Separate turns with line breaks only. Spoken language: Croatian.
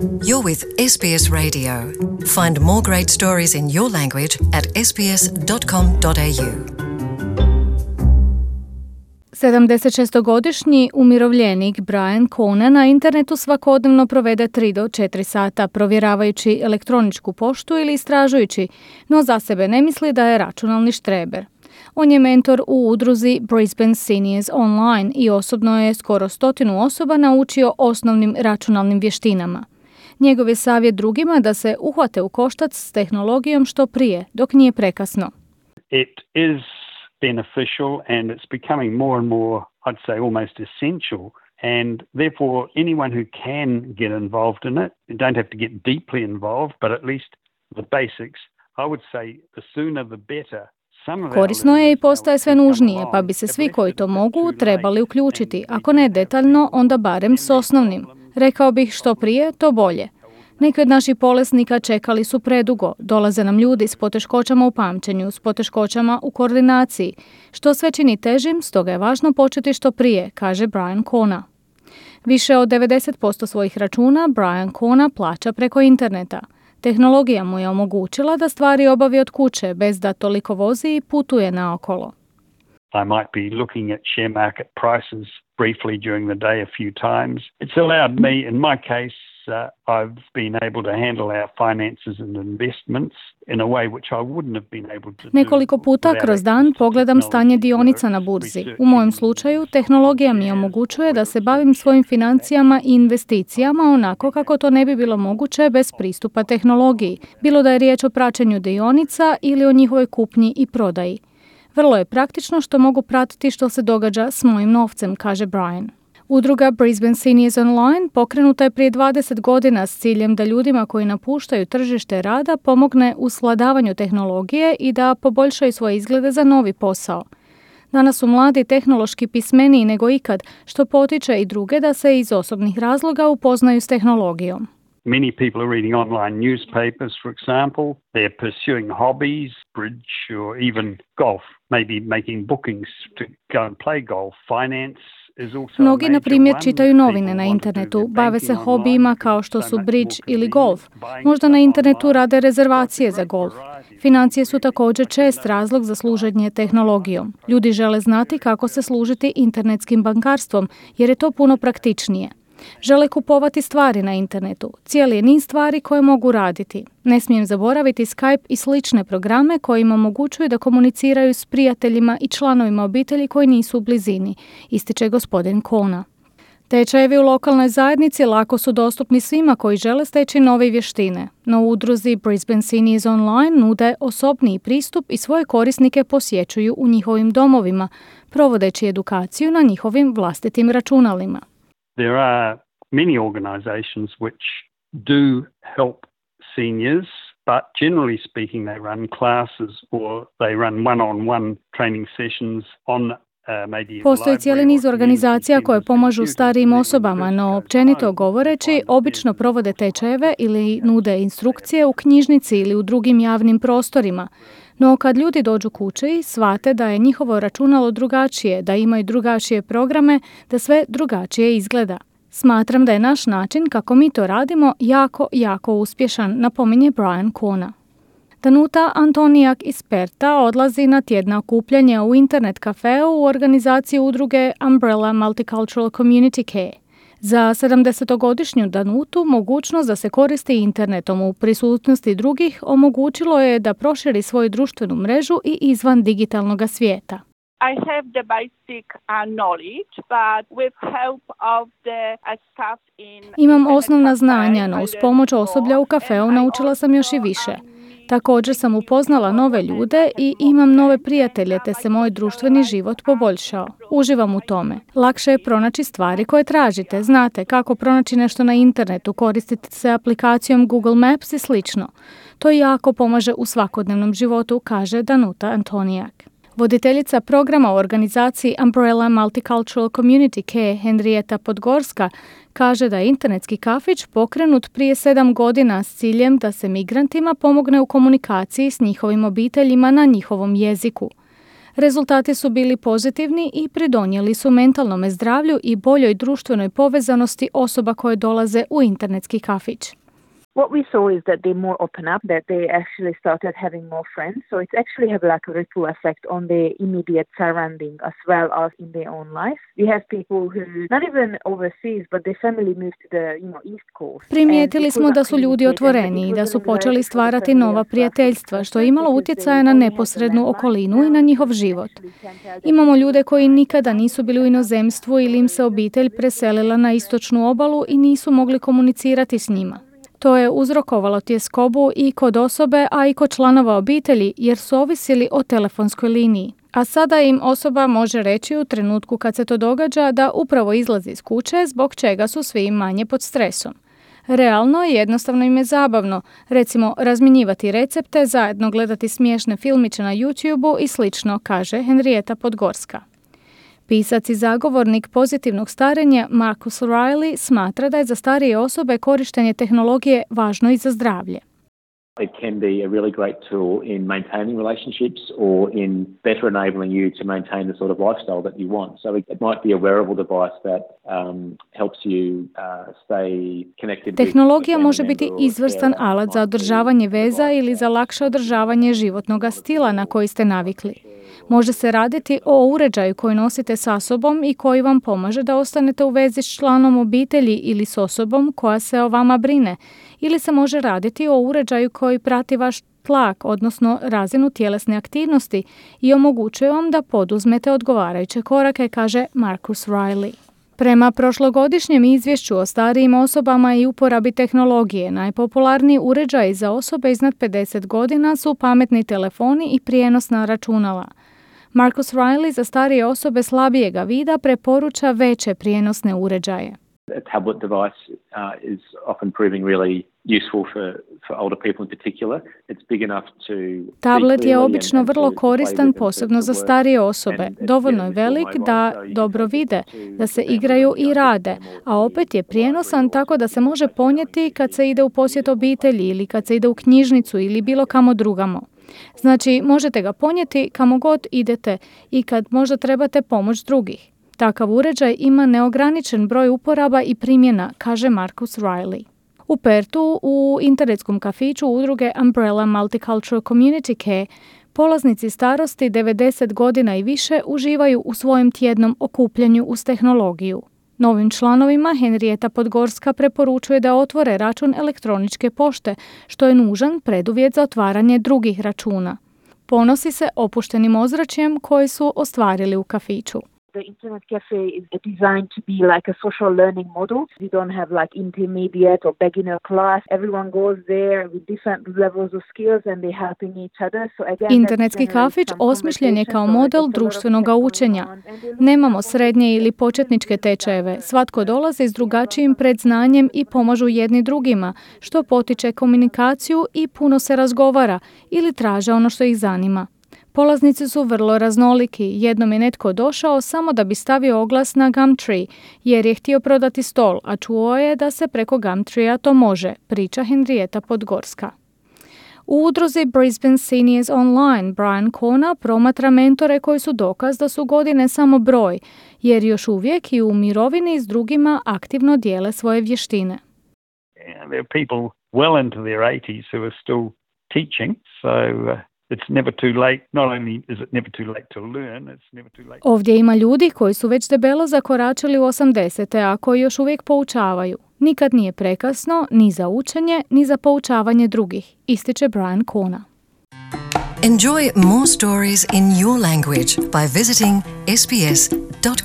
You're with SBS Radio. Find more great stories in your language at sbs.com.au.
76-godišnji umirovljenik Brian Kona na internetu svakodnevno provede 3 do 4 sata provjeravajući elektroničku poštu ili istražujući, no za sebe ne misli da je računalni štreber. On je mentor u udruzi Brisbane Seniors Online i osobno je skoro 100 osoba naučio osnovnim računalnim vještinama. Njegov je savjet drugima da se uhvate u koštac s tehnologijom što prije, dok nije prekasno.
It is beneficial and it's becoming more and more, I'd say, almost essential. And therefore, anyone who can get involved in it, you don't have to get deeply involved, but at least the basics, I would say the sooner the better.
Korisno je i postaje sve nužnije, pa bi se svi koji to mogu trebali uključiti, ako ne detaljno, onda barem s osnovnim. Rekao bih što prije, to bolje. Neki od naših bolesnika čekali su predugo, dolaze nam ljudi s poteškoćama u pamćenju, s poteškoćama u koordinaciji, što sve čini težim, stoga je važno početi što prije, kaže Brian Kona. Više od 90% svojih računa Brian Kona plaća preko interneta. Tehnologija mu je omogućila da stvari obavi od kuće bez da toliko vozi i putuje naokolo.
I might be looking at share market prices briefly during the day a few times. It's allowed me, in my case, I've been able to handle our finances and investments in a way which I wouldn't have been able to do.
Nekoliko puta kroz dan pogledam stanje dionica na burzi. U mojem slučaju, tehnologija mi omogućuje da se bavim svojim financijama i investicijama onako kako to ne bi bilo moguće bez pristupa tehnologiji, bilo da je riječ o praćenju dionica ili o njihovoj kupnji i prodaji. Vrlo je praktično što mogu pratiti što se događa s mojim novcem, kaže Brian. Udruga Brisbane Seniors Online pokrenuta je prije 20 godina s ciljem da ljudima koji napuštaju tržište rada pomogne u svladavanju tehnologije i da poboljšaju svoje izglede za novi posao. Danas su mladi tehnološki pismeniji nego ikad, što potiče i druge da se iz osobnih razloga upoznaju s tehnologijom.
Many people are reading online newspapers, for example. They're pursuing hobbies, bridge or even golf, maybe making bookings to go and play golf. Finance.
Mnogi, na primjer, čitaju novine na internetu, bave se hobijima kao što su bridge ili golf. Možda na internetu rade rezervacije za golf. Financije su također čest razlog za služenje tehnologijom. Ljudi žele znati kako se služiti internetskim bankarstvom, jer je to puno praktičnije. Žele kupovati stvari na internetu, cijeli je niz stvari koje mogu raditi. Ne smijem zaboraviti Skype i slične programe koji im omogućuju da komuniciraju s prijateljima i članovima obitelji koji nisu u blizini, ističe gospodin Kona. Tečajevi u lokalnoj zajednici lako su dostupni svima koji žele steći nove vještine, no u udruzi Brisbane Seniors Online nude osobniji pristup i svoje korisnike posjećuju u njihovim domovima, provodeći edukaciju na njihovim vlastitim računalima.
There are many organisations which do help seniors, but generally speaking they run classes or they run one-on-one training sessions on
Postoji cijeli niz organizacija koje pomažu starijim osobama, no općenito govoreći, obično provode tečajeve ili nude instrukcije u knjižnici ili u drugim javnim prostorima. No kad ljudi dođu kući, shvate da je njihovo računalo drugačije, da imaju drugačije programe, da sve drugačije izgleda. Smatram da je naš način kako mi to radimo jako uspješan, napominje Brian Kona. Danuta Antonijak iz Perta odlazi na tjedna okupljanja u internet kafeu u organizaciji udruge Umbrella Multicultural Community Care. Za 70-godišnju Danutu mogućnost da se koristi internetom u prisutnosti drugih omogućilo je da proširi svoju društvenu mrežu i izvan digitalnog svijeta.
I have the basic knowledge, but with help of the staff in...
Imam osnovna znanja, no uz pomoć osoblja u kafeu naučila sam još i više. Također sam upoznala nove ljude i imam nove prijatelje, te se moj društveni život poboljšao. Uživam u tome. Lakše je pronaći stvari koje tražite. Znate kako pronaći nešto na internetu, koristiti se aplikacijom Google Maps i slično. To jako pomaže u svakodnevnom životu, kaže Danuta Antonijak. Voditeljica programa u organizaciji Umbrella Multicultural Community Care Henrieta Podgorska kaže da je internetski kafić pokrenut prije 7 godina s ciljem da se migrantima pomogne u komunikaciji s njihovim obiteljima na njihovom jeziku. Rezultati su bili pozitivni i pridonijeli su mentalnome zdravlju i boljoj društvenoj povezanosti osoba koje dolaze u internetski kafić.
What we saw is that they more open up, that they actually started having more friends. So it's actually have like a ripple effect on their immediate surrounding as well as in their own life. We have people who, not even overseas, but their family moved to the East Coast.
Primijetili smo da su ljudi otvoreni i da su počeli stvarati nova prijateljstva, što je imalo utjecaja na neposrednu okolinu i na njihov život. Imamo ljude koji nikada nisu bili u inozemstvu ili im se obitelj preselila na istočnu obalu i nisu mogli komunicirati s njima. To je uzrokovalo tjeskobu i kod osobe, a i kod članova obitelji, jer su ovisili o telefonskoj liniji. A sada im osoba može reći u trenutku kad se to događa da upravo izlazi iz kuće, zbog čega su svi manje pod stresom. Realno i jednostavno im je zabavno, recimo razmjenjivati recepte, zajedno gledati smiješne filmiće na YouTube-u i slično, kaže Henrietta Podgorska. Pisac i zagovornik pozitivnog starenja Marcus Riley smatra da je za starije osobe korištenje tehnologije važno i za zdravlje.
It can be a really great tool in maintaining relationships or in better enabling you to maintain the sort of lifestyle that you want. So it might be a wearable device that helps you stay connected.
Tehnologija može biti izvrstan alat za održavanje veza ili za lakše održavanje životnog stila na koji ste navikli. Može se raditi o uređaju koji nosite sa sobom i koji vam pomaže da ostanete u vezi s članom obitelji ili s osobom koja se o vama brine. Ili se može raditi o uređaju koji prati vaš tlak, odnosno razinu tjelesne aktivnosti i omogućuje vam da poduzmete odgovarajuće korake, kaže Marcus Riley. Prema prošlogodišnjem izvješću o starijim osobama i uporabi tehnologije, najpopularniji uređaji za osobe iznad 50 godina su pametni telefoni i prijenosna računala. Marcus Riley za starije osobe slabijega vida preporuča veće prijenosne uređaje.
A tablet device is often proving really useful for older people in particular. It's big enough to
Tablet je obično vrlo koristan, posebno za starije osobe. Dovoljno je velik da dobro vide, da se igraju i rade, a opet je prijenosan tako da se može ponijeti kad se ide u posjet obitelji ili kad se ide u knjižnicu ili bilo kamo drugamo. Znači, možete ga ponijeti kamo god idete i kad možda trebate pomoć drugih. Takav uređaj ima neograničen broj uporaba i primjena, kaže Marcus Riley. U Pertu, u internetskom kafiću udruge Umbrella Multicultural Community Care, polaznici starosti 90 godina i više uživaju u svojem tjednom okupljanju uz tehnologiju. Novim članovima Henrietta Podgorska preporučuje da otvore račun elektroničke pošte, što je nužan preduvjet za otvaranje drugih računa. Ponosi se opuštenim ozračjem koji su ostvarili u kafiću.
The internet cafe is designed to be like a social learning model. We don't have like intermediate or beginner class. Everyone goes there with different levels of skills and they're helping each other. So again,
internetski kafić osmišljen je kao model društvenog učenja. Nemamo srednje ili početničke tečajeve. Svatko dolazi s drugačijim predznanjem i pomažu jedni drugima, što potiče komunikaciju i puno se razgovara ili traže ono što ih zanima. Polaznici su vrlo raznoliki. Jednom je netko došao samo da bi stavio oglas na Gumtree, jer je htio prodati stol, a čuo je da se preko Gumtreea to može, priča Henrietta Podgorska. U udruzi Brisbane Seniors Online Brian Kona promatra mentore koji su dokaz da su godine samo broj, jer još uvijek i u mirovini s drugima aktivno dijele svoje vještine.
There are people well into their 80s who are still teaching, so it's never too late. Not only is it never too late to learn, it's never too late.
Ovdje ima ljudi koji su već debelo zakoračili u 80-te, a koji još uvijek poučavaju. Nikad nije prekasno ni za učenje, ni za poučavanje drugih, ističe Brian Kona.
Enjoy more stories in your language by visiting sbs.com.au.